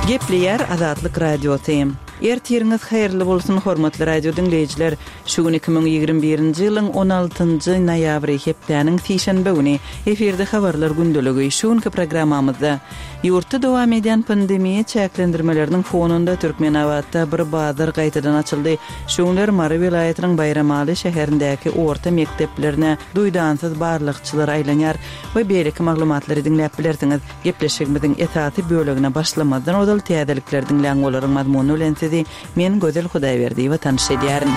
Gepleýär Azatlyk Radiosy. Ertiriňiz haýyrly bolsun, hormatly radio diňleýjiler! Şu gün 2021-nji ýylyň 16-njy noýabry, hepdäniň sişenbe güni. Efirde Habarlar gündeligi. Şu günki programmamyzda Ýurtda dowam edýän pandemiýa çäklendirmeleriniň fonunda Türkmenabatda bir bazar gaýtadan açyldy. Şu günler Mary welaýatynyň Baýramaly şäherindäki orta mekdeplerine duýdansyz barlagçylar aýlanýar we beýleki maglumatlary diňläp bilersiňiz. Gepleşigimiziň esasy bölegine başlamazdan ozal täzelikleri diňläň olaryň mazmuny bilen sizi men Gözel Hudaýberdiýewa tanyş edýärin.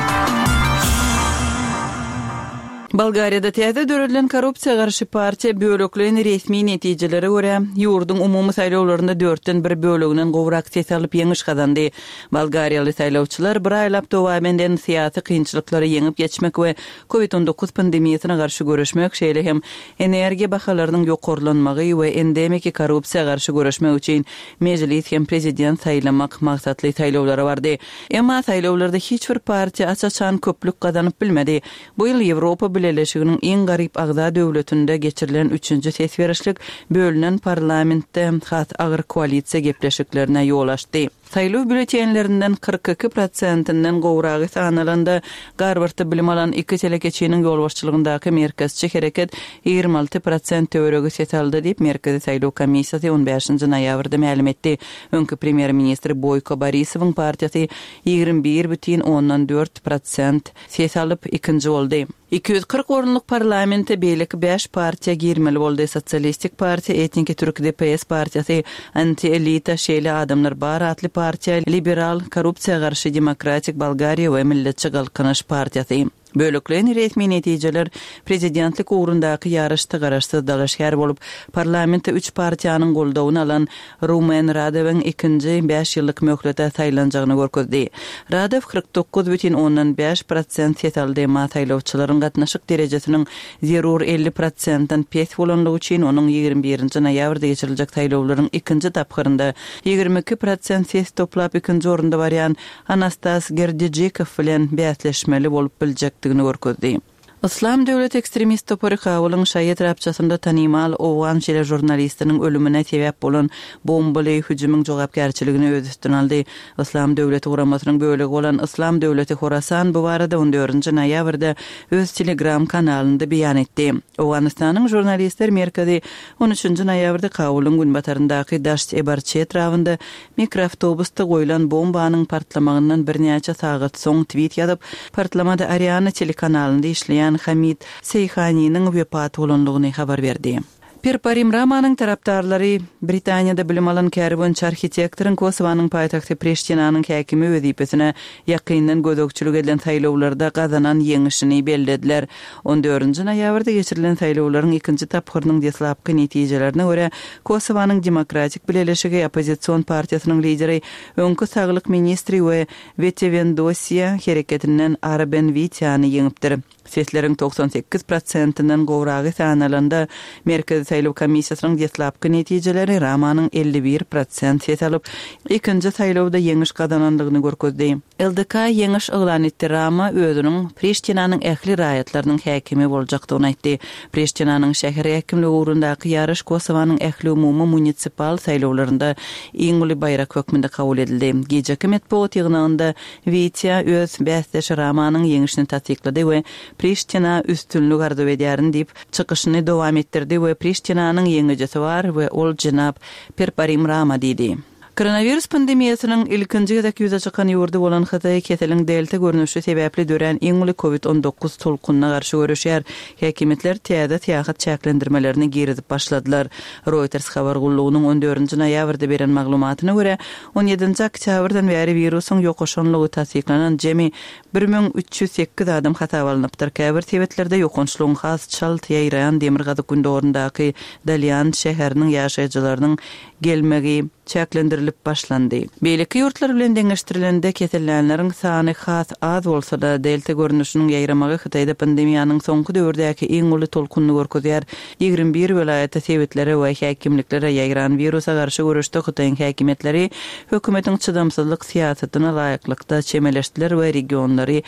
Bolgariýada täze döredilen korrupsiýa garşy partiýa bölekleýin resmi netijelere görä, ýurduň umumy saýlawlarynda dörtden bir böleginden gowrak ses alyp ýeňiş gazandy. Bolgariýaly saýlawçylar bir aýlap dowam eden syýasy kynçylyklary ýeňip geçmek we Covid 19 pandemiýasyna garşy göreşmek, şeýle hem energiýa bahalarynyň ýokarlanmagy we endemiki korrupsiýa garşy göreşmek üçin mejlis hem prezident saýlamak maksatly saýlawlara bardy. Emma saýlawlarda hiç bir partiýa aç-açan köplük gazanyp bilmedi. Bu ýyl Ýewropa Bileleşiginiň iň garyp agza döwletinde geçirilen üçünji ses berişlik bölünen parlamentde has agyr koalisiýa gepleşiklerine ýol açdy. Saýlaw býulletenlerinden 42 prosentinden gowragy sanalanda, Garwardda bilim alan iki telekeçiniň ýolbaşçylygyndaky Merkezçi hereket 26 prosent töweregi ses aldy diýip, Merkezi saýlaw komissiýasy on bäşinji noýabrda mälim etdi. Öňki premýer-ministr Boýko Borisowyň partiýasy 21,4 prosent ses alyp, ikinji boldy. 240 orunlyk parlamente beýleki bäş partiýa girmeli boldy, Sosialistik partiýa, etniki türk DPS partiýasy, anti-elita, Şeýle adamlar bar atly partiýa, liberal, korrupsiýa garşy Demokratik Bolgariýa we Milletçi Galkynyş partiýasy. Bölekleýin resmi netijeler prezidentlik ugrundaky ýaryşda garaşsyz dalaşgär bolup, parlamentde üç partiýanyň goldawyny alan Rumen Radewiň ikinji bäş ýyllyk möhlete saýlanjagyny görkezdi. Radew 49,5 prosent ses aldy, emma saýlawçylaryň gatnaşyk derejesiniň zerur 50 prosentden pes bolanlygy üçin onuň 21-nji noýabrda geçiriljek saýlawlaryň ikinji tapgyrynda 22 prosent ses toplap ikinji orunda barýan Anastas Gerdijikow bilen bäsleşmeli bolup biljekdigini görkezdi. Yslam döwleti ekstremist topary Kabulyň şaýy etrapçasynda tanymal owgan teležurnalistiniň ölümine sebäp bolan bombaly hüjümiň jogapkärçiligini öz üstüne aldy. Yslam döwleti guramasynyň bölegi bolan Yslam döwleti Horasan bu barada on dördünji noýabrda öz Telegram kanalynda beýan etdi. Owganystanyň Žurnalistler merkezi on üçünji noýabrda Kabulyň günbataryndaky Daşt-e-Barçy etrabynda Mikroawtobusda goýlan bombanyň partlamagyndan birnäçe sagat soň twit ýazyp, partlamada Ariana telekanalynda işleýän Hamid Seýhaniniň wepat bolandygyny habar berdi. Perparim Ramanyň tarapdarlary Britaniýada bilim alan käri boýunça arhitektoryň Kosowanyň paýtagty Priştinanyň häkimi wezipesine ýakyndan gözegçilik edilen saýlawlarda gazanan ýeňişini bellediler. On dördünji noýabrda geçirilen saýlawlaryň ikinji tapgyrynyň deslapky netijelerine görä, Kosowanyň Demokratik Bileleşigi oppozision partiýasynyň lideri, öňki saglyk ministri we Vetevendosje hereketinden Arben Witiany ýeňipdir. Sesleriň 98 prosentinden gowragy sanalanda, Merkezi saýlaw komissiýasynyň deslapky netijeleri Ramanyň 51 prosent ses alyp, ikinji saýlawda ýeňiş gazanandygyny görkezdi. LDK ýeňiş yglan etdi Rama özüniň Priştinanyň ähli raýatlarynyň häkimi boljakdygyny aýtdy. Priştinanyň şäher häkimligi ugrundaky ýaryş Kosowanyň ähliumumy munisipal saýlawlarynda iň uly baýrak hökmünde kabul edildi. Gijeki metbugat ýygnagynda Witýa öz bäsdeşi Ramanyň ýeňişini tassyklady we Priştina üstünlik arzuw edýärin diýip, çykyşyny dowam etdirdi we Priştinanyň ýeňijisi bar we ol jenap Perparim Rama diýdi. Koronawirus pandemiýasynyň ilkinji gezek ýüze çykan ýurdy bolan Hytaý keseliň delta görnüşi sebäpli dörän iň uly covid 19 tolkunyna garşy göreşýär. Häkimiýetler täze syýahat çäklendirmelerini girizip başladylar. Reuters habar gullugynyň on dördünji noýabrda beren maglumatyna görä, on ýedinji oktýabrdan bäri wirusyň ýokaşanlygy tassyklanan jemi 1308 adam hasaba alnypdyr. Käbir sebitlerde ýokançlygyň has çalt ýaýraýan demirgazyk-gündogaryndaky Dalýan şäheriniň ýaşaýjylarynyň gelmegi çäklendirilip başlandy. Beýleki ýurtlar bilen deňeşdirilende kesellänleriň sany has az bolsa-da, delta görnüşiniň ýaýramagy Hytaýda pandemiýanyň soňky döwürdäki iň uly tolkunyny görkezýär. 21 welaýata, sebitlere we häkimliklere ýaýran wirusa garşy göreşde Hytaýyň häkimiýetleri hökümetiň çydamsyzlyk syýasatyna laýyklykda çemeleşdiler we regionlary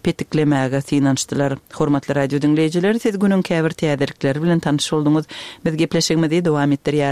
petiklemäge synanyşdylar. Hormatly radio diňleýjiler, siz günüň käbir täzelikleri bilen tanyş bolduňyz. Biz gepleşigimizi dowam etdirýäris.